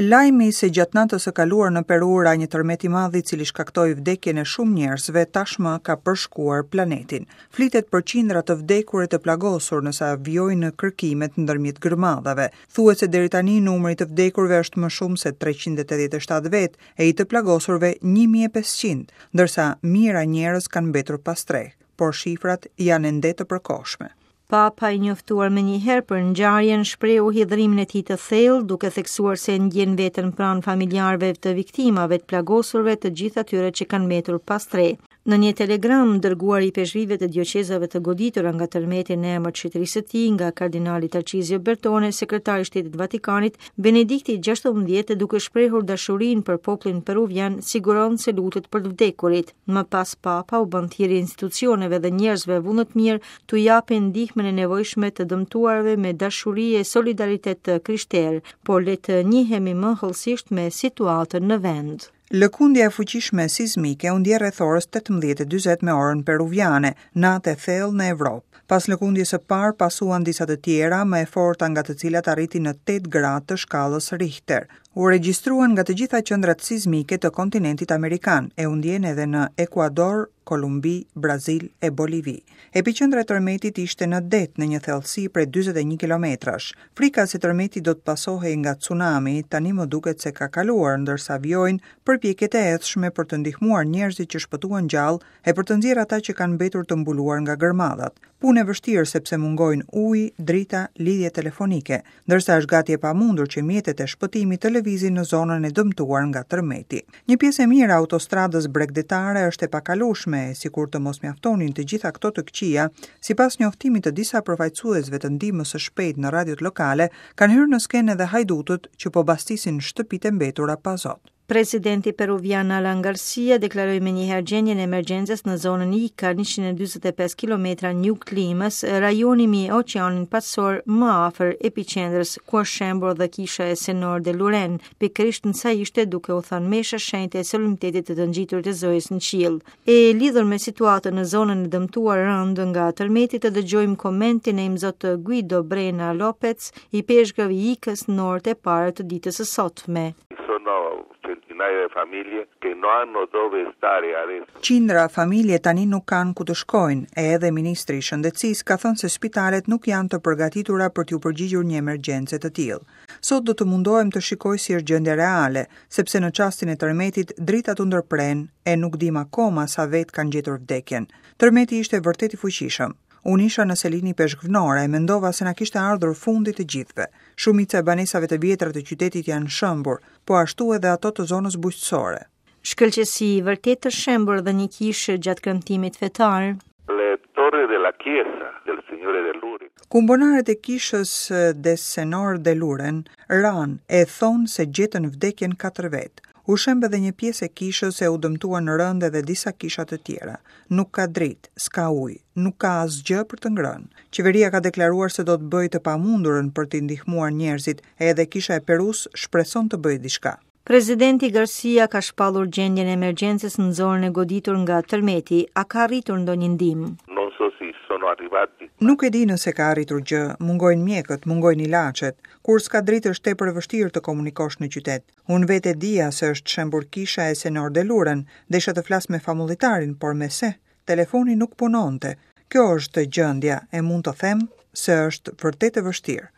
Lajmi se gjatë natës së kaluar në Peru ra një tërmet i madh i cili shkaktoi vdekjen e shumë njerëzve tashmë ka përshkuar planetin. Flitet për qindra të vdekur e të plagosur ndërsa vijojnë kërkimet ndërmjet gërmadhave. Thuhet se deri tani numri i të vdekurve është më shumë se 387 vetë e i të plagosurve 1500, ndërsa mijëra njerëz kanë mbetur pa strehë, por shifrat janë ende të përkohshme. Papa i njoftuar menjëherë për ngjarjen shprehu hidhërimin e tij të thellë, duke theksuar se ndjen veten pranë familjarëve të viktimave, të plagosurve, të gjithë atyre që kanë mbetur pa strehë. Në një telegram dërguar ipeshkvijve të dioqezave të goditura nga tërmeti në emër të shenjtërisë së tij nga kardinali Tarcizio Bertone, sekretari i Shtetit të Vatikanit, Benedikti XVI, duke shprehur dashurinë për popullin peruvian, siguron se lutet për të vdekurit. Më pas Papa u bën thirrje institucioneve dhe njerëzve vullnetmirë t'u japin ndihmën e nevojshme të dëmtuarve me dashuri e solidaritet të krishterë, por le të njihemi më hollësisht me situatën në vend. Lëkundja e fuqishme sizmike u ndje rreth orës 18:40 me orën peruviane, natë e thellë në Evropë. Pas lëkundjes së parë pasuan disa të tjera, më e forta nga të cilat arriti në 8 gradë të shkallës Richter. U regjistruan nga të gjitha qendrat sizmike të kontinentit amerikan e u ndjenë edhe në Ekuador, Kolumbi, Brazil e Bolivi. Epiqendra e tërmetit ishte në det në një thellësi prej 41 kilometrash. Frika se tërmeti do të pasohej nga tsunami tani më duket se ka kaluar, ndërsa vijojnë përpjekjet e ethshme për të ndihmuar njerëzit që shpëtuan gjallë e për të nxjerrë ata që kanë mbetur të mbuluar nga gërmadhat. Punë e vështirë sepse mungojnë uji, drita, lidhje telefonike, ndërsa është gati e pamundur që mjetet e shpëtimit të lëvizin në zonën e dëmtuar nga tërmeti. Një pjesë e mirë e autostradës bregdetare është e pakalueshme e sikur të mos mjaftonin të gjitha këto të këqija, sipas njoftimit të disa përfaqësuesve të ndihmës së shpejtë në radiot lokale, kanë hyrë në skenë edhe hajdutët që po bastisin shtëpitë e mbetura pa zot. Presidenti peruvian Alan Garcia deklaroi menjëherë gjendjen e emergjencës në zonën Ica, 145 kilometra në jug të Limës, rajoni mbi Oqeanin Paqësor më afër epiqendrës, ku është shembur dhe kisha e Senor de Luren, pikërisht ndërsa ishte duke u thënë mesha e shenjtë e solemnitetit të të ngjiturit të Zojës në qiell. E lidhur me situatën në zonën e dëmtuar rëndë nga tërmeti të dëgjojmë komentin e Imzot Guido Brena Lopez, ipeshkëv i Ikës në orët e para të ditës së sotme. Sono centinaia di famiglie che non hanno dove stare adesso. Qindra familje tani nuk kanë ku të shkojnë, e edhe ministri i Shëndetësisë ka thënë se spitalet nuk janë të përgatitura për t'iu përgjigjur një emergjence të tillë. Sot do të mundohem të shikoj si është gjendja reale, sepse në çastin e tërmetit dritat u ndërprenë e nuk dimë akoma sa vetë kanë gjetur vdekjen. Tërmeti ishte vërtet i fuqishëm. Unë isha në selinë ipeshkvnore e mendova se na kishte ardhur fundi të gjithëve. Shumica e banesave të vjetra të qytetit janë shembur, po ashtu edhe ato të zonës bujqësore. Shkëlqesi, vërtet është shembur dhe një kishë gjatë kremtimit fetar. Le torre della chiesa del Signore de Luren. Kumbonaret e kishës de Senor de Luren ranë e thonë se gjetën vdekjen katër vetë. U shemb edhe një pjesë e kishës e u dëmtuan rëndë edhe disa kisha të tjera. Nuk ka dritë, s'ka ujë, nuk ka asgjë për të ngrënë. Qeveria ka deklaruar se do të bëjë të pamundurën për t'i ndihmuar njerëzit, e edhe Kisha e Perusë shpreson të bëjë diçka. Presidenti Garcia ka shpallur gjendjen e emergjencës në zonën e goditur nga tërmeti. A ka arritur ndonjë ndihmë? Non so se sono arrivati. Nuk e di nëse ka arritur gjë, mungojnë mjekët, mungojnë ilaçet. Kur s'ka dritë është tepër e vështirë të komunikosh në qytet. Unë vetë e dija se është shembur kisha e Senor de Luren, desha të flas me famullitarin, por me se, telefoni nuk punonte. Kjo është gjendja e mund të them se është vërtet e vështirë.